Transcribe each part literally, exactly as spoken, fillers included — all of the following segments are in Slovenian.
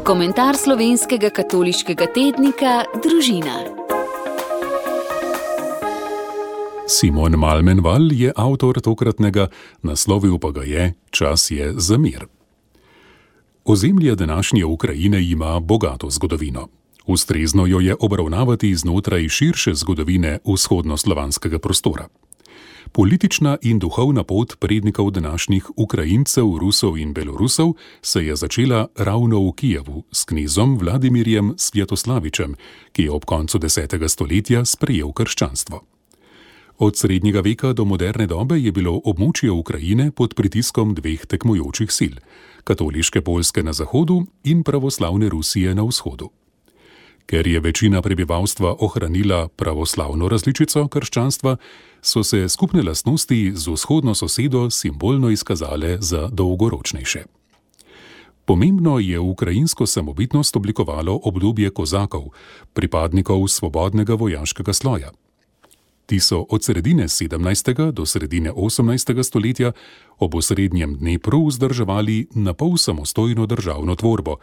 Komentar slovenskega katoliškega tednika Družina. Simon Malmenval je avtor tokratnega, naslovil pa ga je Čas je za mir. Ozemlje današnje Ukrajine ima bogato zgodovino. Ustrezno jo je obravnavati znotraj širše zgodovine vzhodnoslovanskega prostora. Politična in duhovna pot prednikov današnjih Ukrajincev, Rusov in Belorusov se je začela ravno v Kijevu s knezom Vladimirjem Svjatoslavičem, ki je ob koncu desetega stoletja sprejel krščanstvo. Od srednjega veka do moderne dobe je bilo območje Ukrajine pod pritiskom dveh tekmujočih sil, katoliške Poljske na zahodu in pravoslavne Rusije na vzhodu. Ker je večina prebivalstva ohranila pravoslavno različico krščanstva, so se skupne lastnosti z vzhodno sosedo simbolno izkazale za dolgoročnejše. Pomembno je ukrajinsko samobitnost oblikovalo obdobje kozakov, pripadnikov svobodnega vojaškega sloja. Ti so od sredine sedemnajstega do sredine osemnajstega stoletja ob osrednjem Dnepru vzdrževali napol samostojno državno tvorbo,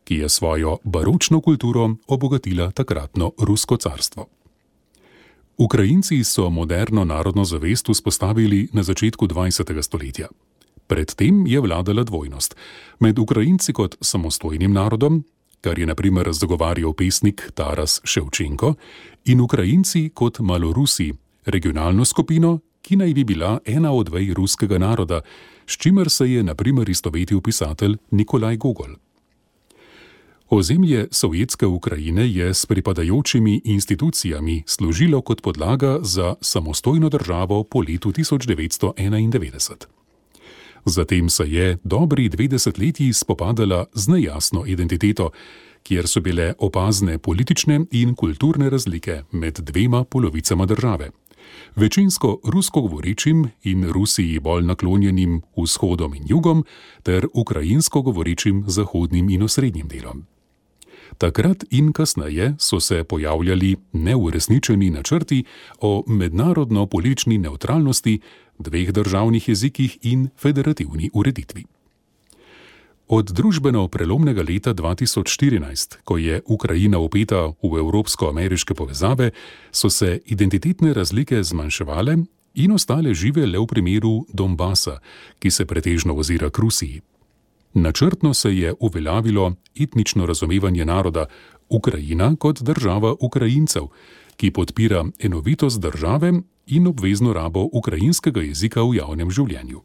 ki je svojo baročno kulturo obogatila takratno Rusko carstvo. Ukrajinci so moderno narodno zavest vzpostavili na začetku dvajsetega stoletja. Predtem je vladala dvojnost med Ukrajinci kot samostojnim narodom, kar je na primer zagovarjal pesnik Taras Ševčenko, in Ukrajinci kot Malorusi, regionalno skupino, ki naj bi bila ena od vej ruskega naroda, s čimer se je na primer istovetil pisatelj Nikolaj Gogol. Ozemlje sovjetske Ukrajine je s pripadajočimi institucijami služilo kot podlaga za samostojno državo po letu tisoč devetsto enaindevetdeset. Zatem se je dobri dve desetletji spopadala z nejasno identiteto, kjer so bile opazne politične in kulturne razlike med dvema polovicama države. Večinsko rusko govorečim in Rusiji bolj naklonjenim vzhodom in jugom ter ukrajinsko govorečim zahodnim in osrednjim delom. Takrat in kasneje so se pojavljali neuresničeni načrti o mednarodno-politični nevtralnosti, dveh državnih jezikih in federativni ureditvi. Od družbeno prelomnega leta dva tisoč štirinajst, ko je Ukrajina vpeta v evropsko-ameriške povezave, so se identitetne razlike zmanjševale in ostale žive le v primeru Donbasa, ki se pretežno ozira k Rusiji. Načrtno se je uveljavilo etnično razumevanje naroda Ukrajina kot država Ukrajincev, ki podpira enovitost države in obvezno rabo ukrajinskega jezika v javnem življenju.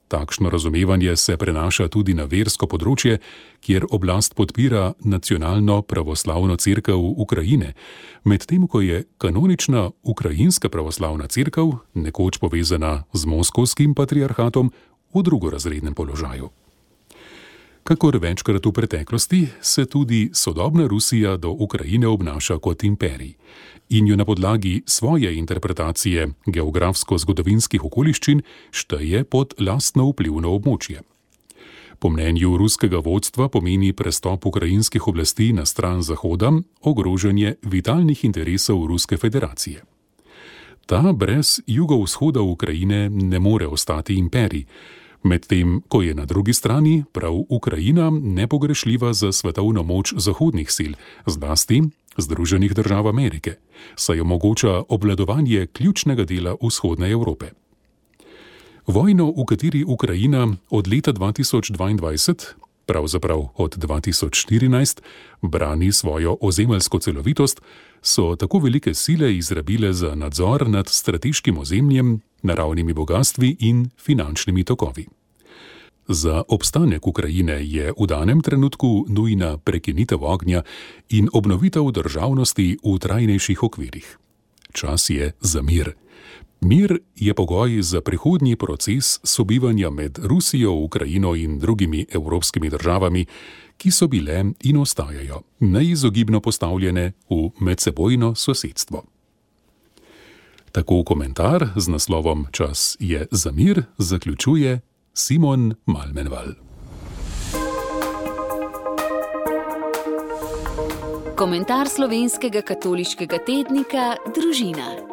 Takšno razumevanje se prenaša tudi na versko področje, kjer oblast podpira nacionalno pravoslavno cerkev Ukrajine, medtem ko je kanonična ukrajinska pravoslavna cerkev, nekoč povezana z moskovskim patriarhatom, v drugorazrednem položaju. Kakor večkrat v preteklosti, se tudi sodobna Rusija do Ukrajine obnaša kot imperij in jo na podlagi svoje interpretacije geografsko-zgodovinskih okoliščin šteje pod lastno vplivno območje. Po mnenju ruskega vodstva pomeni prestop ukrajinskih oblasti na stran Zahoda ogrožanje vitalnih interesov Ruske federacije. Ta brez jugovzhoda Ukrajine ne more ostati imperij, medtem ko je na drugi strani prav Ukrajina nepogrešljiva za svetovno moč zahodnih sil, zlasti Združenih držav Amerike, saj omogoča obvladovanje ključnega dela vzhodne Evrope. Vojno, v kateri Ukrajina od leta dva tisoč dvaindvajset, pravzaprav od dva tisoč štirinajst, brani svojo ozemeljsko celovitost, so tako velike sile izrabile za nadzor nad strateškim ozemljem, naravnimi bogastvi in finančnimi tokovi. Za obstanek Ukrajine je v danem trenutku nujna prekinitev ognja in obnovitev državnosti v trajnejših okvirih. Čas je za mir. Mir je pogoj za prihodnji proces sobivanja med Rusijo, Ukrajino in drugimi evropskimi državami, ki so bile in ostajajo neizogibno postavljene v medsebojno sosedstvo. Tako komentar z naslovom Čas je za mir zaključuje Simon Malmenval. Komentar slovenskega katoliškega tednika Družina.